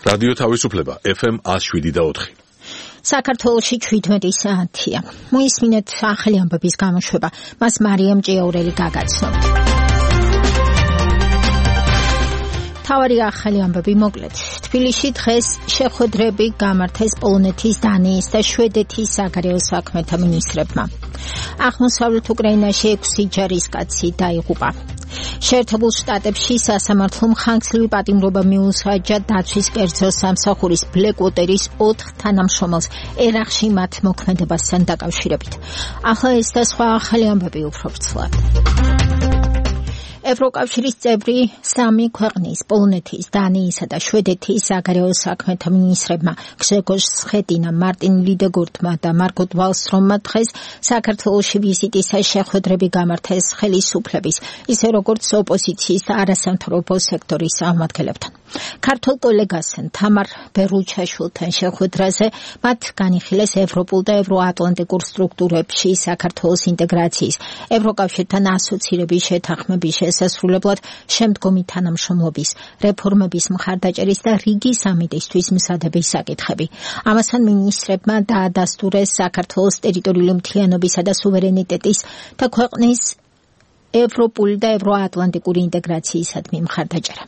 რადიო თავისუფლება FM 107.4. საქართველოში 17 საათია. მოისმინეთ ახალი ამბების გამოშვება. მას მარიამ ჭიაურელი გაგაცნობთ. თავარი ახალი ამბები მოკლედ. თბილისში დღეს შეხვედრები გამართეს პოლონეთის, დანიის და შვედეთის საგარეო საქმეთა მინისტრებმა. აღმოსავლეთ უკრაინაში 6 ჯარისკაცი დაიღუპა. შეერთებულ შტატებში სასამართლომ ხანგრძლივი პატიმრობა მიუსაჯა დაცვის კერძო სამსახურის ბლეკვოტერის 4 თანამშრომელს ერაყში მათ მოქმედებასთან დაკავშირებით. ახლა ეს და სხვა ახალი ამბები უფრო ვრცლად. ევროკავშირის წევრი 3 ქვეყნის პოლონეთის, დანიისა და შვედეთის საგარეო საქმეთა მინისტრებმა გრეგორ სხეტინა, მარტინ ლიდეგორტმა და მარგოთ ვალსტრომმა დღეს საქართველოში ვიზიტისა შეხვედრები გამართეს ხელისუფლების, ისე როგორც ოპოზიციის და არასამთავრობო სექტორის წარმომადგენლებთან. ქართულ კოლეგასთან თამარ ბერუჩაშვილთან შეხვედრაზე მათ განიხილეს ევროპულ და ევროატლანტიკურ სტრუქტურებში საქართველოს ინტეგრაციის, ევროკავშირთან ასოცირების შეთანხმების შესასრულებლად შემდგომი თანამშრომლობის, რეფორმების მხარდაჭერის და რიგი სამიტისთვის მზადების საკითხები. ამასთან მინისტრებმა დაადასტურეს საქართველოს ტერიტორიული მთლიანობისა და სუვერენიტეტის და ქვეყნის ევროპული და ევროატლანტიკური ინტეგრაციისადმი მხარდაჭერა.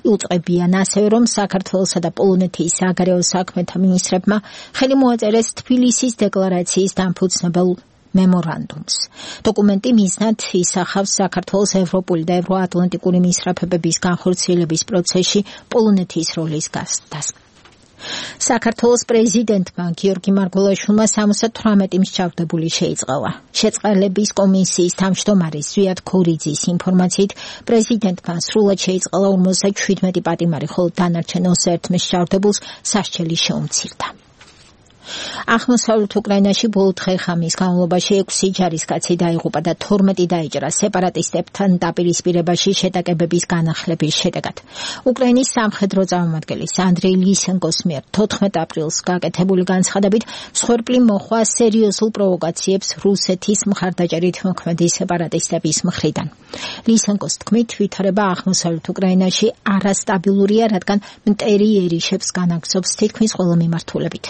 იუწყებიან ასევე, რომ საქართველოსა და პოლონეთის საგარეო საქმეთა მინისტრებმა ხელი მოაწერეს თბილისის დეკლარაციის დამფუძნებელ მემორანდუმს. დოკუმენტი მიზნად ისახავს საქართველოს ევროპული და ევროატლანტიკური მისწრაფებების განხორციელების პროცესში პოლონეთის როლის გაზრდას. საქართველოს პრეზიდენტმა გიორგი მარგველაშვილმა 78 მსჯავრდებული შეიწყალა. შეწყალების კომისიის თავმჯდომარის ზვიად ქორიძის ინფორმაციით, პრეზიდენტმა სრულად შეიწყალა 57 პატიმარი, ხოლო დანარჩენ 21 მსჯავრდებულს სასჯელი შეუმცირდა. აღმოსავლეთ უკრაინაში ბოლო დღე-ღამის განმავლობაში 6 ჯარისკაცი დაიღუპა და 12 დაიჭრა სეპარატისტებთან დაპირისპირებაში შეტაკებების განახლების შედეგად. უკრაინის სამხედრო წარმომადგენლის ანდრეი ლისენკოს მიერ 14 ապრილს გაკეთებული განცხადებით მსხვერპლი მოხვა სერიოზულ პროვოკაციებს რუსეთის მხარდაჭერით მოქმედი სეპარატისტების მხრიდან. ლისენკოს თქმით, ვითარება აღმოსავლეთ უკრაინაში არასტაბილურია, რადგან მტერი ერიშებს განაგრძობს თითქმის ყველა მიმართულებით.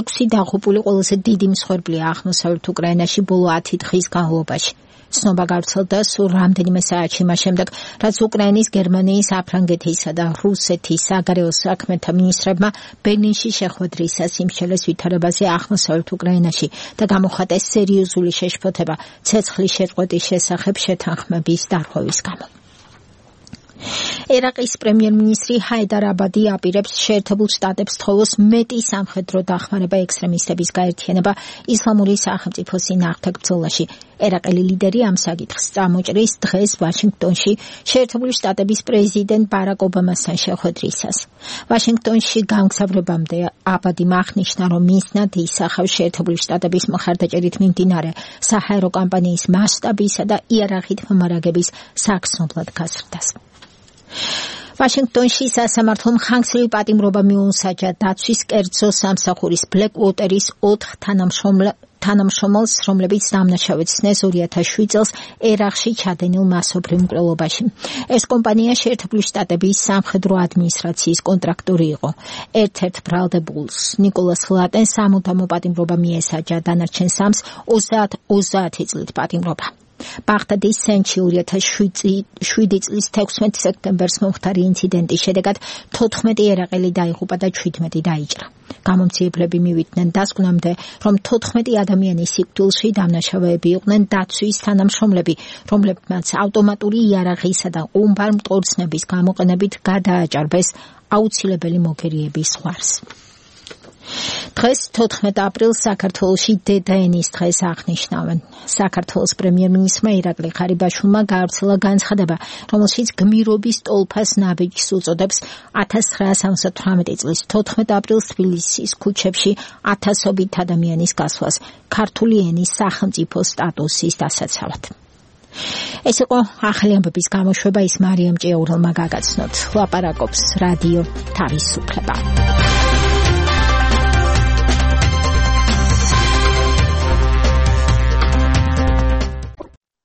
6 დაღუპული ყველაზე დიდი მსხვერპლია აღმოსავლეთ უკრაინაში ბოლო 10 დღის განმავლობაში. ცნობა გავრცელდა სულ რამდენიმე საათში მას შემდეგ, რაც უკრაინის, გერმანიის, საფრანგეთისა და რუსეთის საგარეო საქმეთა მინისტრებმა ბერლინში შეხვედრისას იმსჯელეს ვითარებაზე აღმოსავლეთ უკრაინაში და გამოხატეს სერიოზული შეშფოთება ცეცხლის შეწყვეტის შესახებ შეთანხმების დარღვევის გამო. ერაყის პრემიერ-მინისტრი ჰაიდარ აბადი აპირებს შეერთებულ შტატებს თხოვოს მეტი სამხედრო დახმარება ექსტრემისტების გაერთიანება ისლამური სახელმწიფოს წინააღმდეგ ბრძოლაში. ერაყელი ლიდერი ამ საკითხს წამოჭრის დღეს ვაშინგტონში შეერთებული შტატების პრეზიდენტ ბარაკ ობამასთან შეხვედრისას. ვაშინგტონში გამგზავრებამდე აბადი აღნიშნა, რომ მიზნად ისახავს შეერთებული შტატების მხარდაჭერით მიმდინარე საჰაერო კამპანიის მასშტაბისა და იარაღით მომარაგების საგრძნობლად გაზრდას. ვაშინგტონში სასამართლომ ხანგრძლივი პატიმრობა მიუსაჯა დაცვის კერძო სამსახურის ბლეკვოტერის 4 თანამშრომელს, რომლებიც დამნაშავედ ცნეს 2007 წელს ერაყში ჩადენილ მასობრივ მკვლელობაში. ეს კომპანია შეერთებული შტატების სამხედრო ადმინისტრაციის კონტრაქტორი იყო. ერთ-ერთ ბრალდებულს ნიკოლას ლატენს სამუდამო პატიმრობა მიესაჯა, დანარჩენ 3-ს 30 წლით პატიმრობა. ბაღდადის სენჩი 2007 წლის 16 სექტემბერს მომხდარი ინციდენტის შედეგად 14 ერაყელი დაიღუპა და 17 დაიჭრა. გამომძიებლები მივიდნენ დასკვნამდე, რომ 14 ადამიანის სიკვდილში დამნაშავეები იყვნენ დაცვის თანამშრომლები, რომლებმაც ავტომატური იარაღისა და ყუმბარ მტკორცნების გამოყენებით გადააჭარბეს აუცილებელი მოგერიების ზღვარს. დღეს 14 აპრილს საქართველოში დედაენის დღეს აღნიშნავენ. საქართველოს პრემიერ-მინისტრმა ირაკლი ღარიბაშვილმა გაავრცელა განცხადება, რომელშიც გმირობის ტოლფას ნაბიჯს უწოდებს 1978 წლის 14 აპრილს თბილისის ქუჩებში ათასობით ადამიანის გასვლას ქართული ენის სახელმწიფო სტატუსის დასაცავად. ეს იყო ახალი ამბების გამოშვება, ის მარიამ ჭიაურელმა გაგაცნოთ. ლაპარაკობს რადიო თავისუფლება.